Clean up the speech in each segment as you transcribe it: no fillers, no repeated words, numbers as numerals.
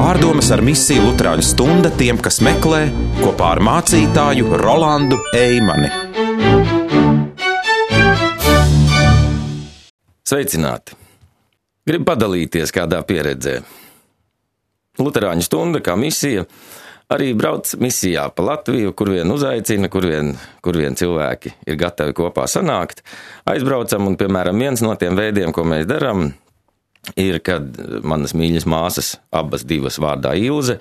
Pārdomas ar misiju Luterāņu stunda tiem, kas meklē, kopā ar mācītāju Rolandu Eimani. Sveicināti! Gribu padalīties kādā pieredzē. Luterāņu stunda kā misija arī brauc misijā pa Latviju, kur vien uzaicina, kur vien cilvēki ir gatavi kopā sanākt. Aizbraucam un, piemēram, viens no tiem veidiem, ko mēs darām, ir, kad manas mīļas māsas, abas divas vārdā Ilze,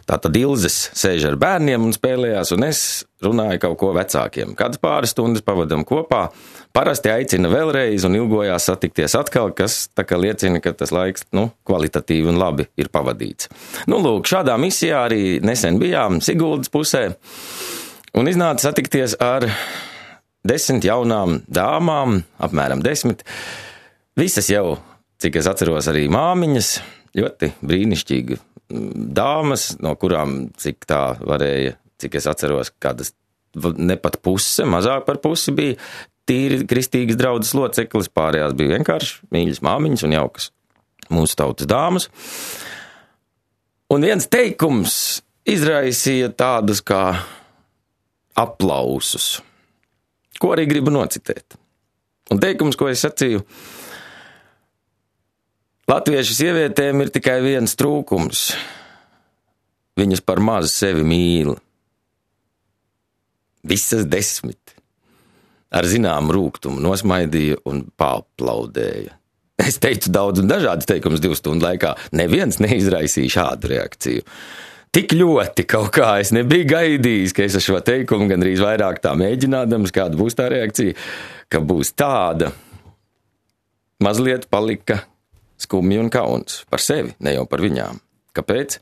tātad Ilzes sēž ar bērniem un spēlējās, un es runāju kaut ko vecākiem. Kādas pāris stundas pavadam kopā, parasti aicina vēlreiz un ilgojās satikties atkal, kas tā kā liecina, ka tas laiks, kvalitatīvi un labi ir pavadīts. Lūk, šādā misijā arī nesen bijām Siguldas pusē, un iznāca satikties ar 10 jaunām dāmām, apmēram 10, visas jau, cik es atceros, arī māmiņas, ļoti brīnišķīgi dāmas, no kurām cik tā varēja, cik es atceros, kādas ne pat puse, mazāk par pusi bija tīri kristīgas draudzes loceklis, pārējās bija vienkārši mīļas māmiņas un jaukas mūsu tautas dāmas. Un viens teikums izraisīja tādus kā aplausus, ko arī gribu nocitēt. Un teikums, ko es sacīju, latviešu sievietēm ir tikai viens trūkums. Viņas par maz sevi mīl. Visas 10. Ar zināmu rūgtumu nosmaidīja un paaplaudēja. Es teicu daudz un dažādas teikumus 2 stundu laikā. Neviens neizraisīja šādu reakciju. Tik ļoti kaut kā es nebiju gaidījis, ka es ar šo teikumu gandrīz vairāk tā mēģinādams, kāda būs tā reakcija, ka būs tāda. Mazliet palika skumji un kauns par sevi, ne jau par viņām. Kāpēc?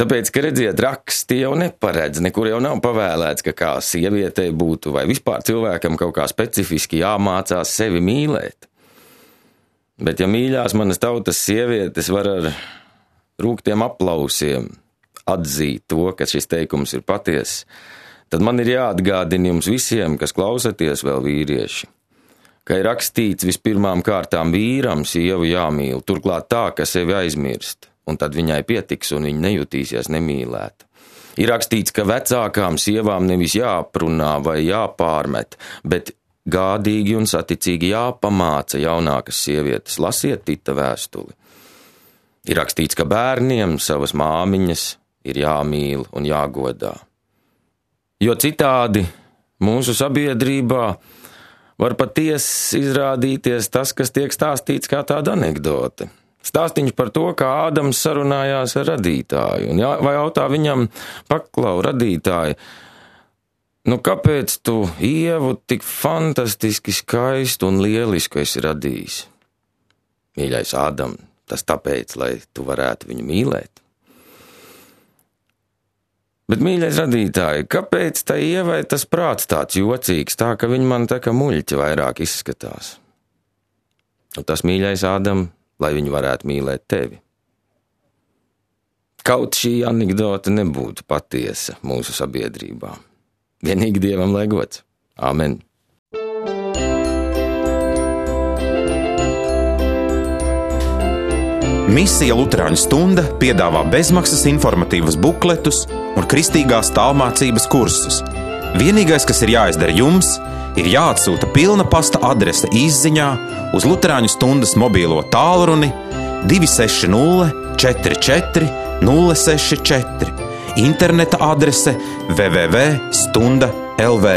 Tāpēc, ka redziet, raksti jau neparedz, nekur jau nav pavēlēts, ka kā sievietei būtu vai vispār cilvēkam kaut kā specifiski jāmācās sevi mīlēt. Bet ja mīļās manas tautas sievietes var ar rūgtiem aplausiem atzīt to, ka šis teikums ir patiess, tad man ir jāatgādina jums visiem, kas klausaties vēl vīrieši, ka ir rakstīts vispirmām kārtām vīram sievu jāmīl, turklāt tā, ka sevi aizmirst, un tad viņai pietiks un viņa nejutīsies nemīlēta. Ir rakstīts, ka vecākām sievām nevis jāprunā vai jāpārmet, bet gādīgi un saticīgi jāpamāca jaunākas sievietes, lasiet Tita vēstuli. Ir rakstīts, ka bērniem savas māmiņas ir jāmīl un jāgodā. Jo citādi mūsu sabiedrībā var patiesi izrādīties tas, kas tiek stāstīts kā tāda anekdote. Stāstiņš par to, kā Ādams sarunājās ar radītāju, vai jautā viņam, paklau, radītāji, kāpēc tu Ievu tik fantastiski skaistu un lielisku esi radījis? Mīļais Ādam, tas tāpēc, lai tu varētu viņu mīlēt. Bet, mīļais radītāji, kāpēc tai Ievai tas prāts tāds jocīgs, tā ka viņa man tā kā muļķi vairāk izskatās? Un tas, mīļais Ādam, lai viņi varētu mīlēt tevi. Kaut šī anekdote nebūtu patiesa mūsu sabiedrībā. Vienīgi Dievam lai gods. Āmen. Misija Luterāņu stunda piedāvā bezmaksas informatīvas bukletus un kristīgās tālmācības kursus. Vienīgais, kas ir jāizdara jums, ir jāatsūta pilna pasta adrese izziņā uz Luterāņu stundas mobīlo tālruni 260 44 064, interneta adrese www.stunda.lv.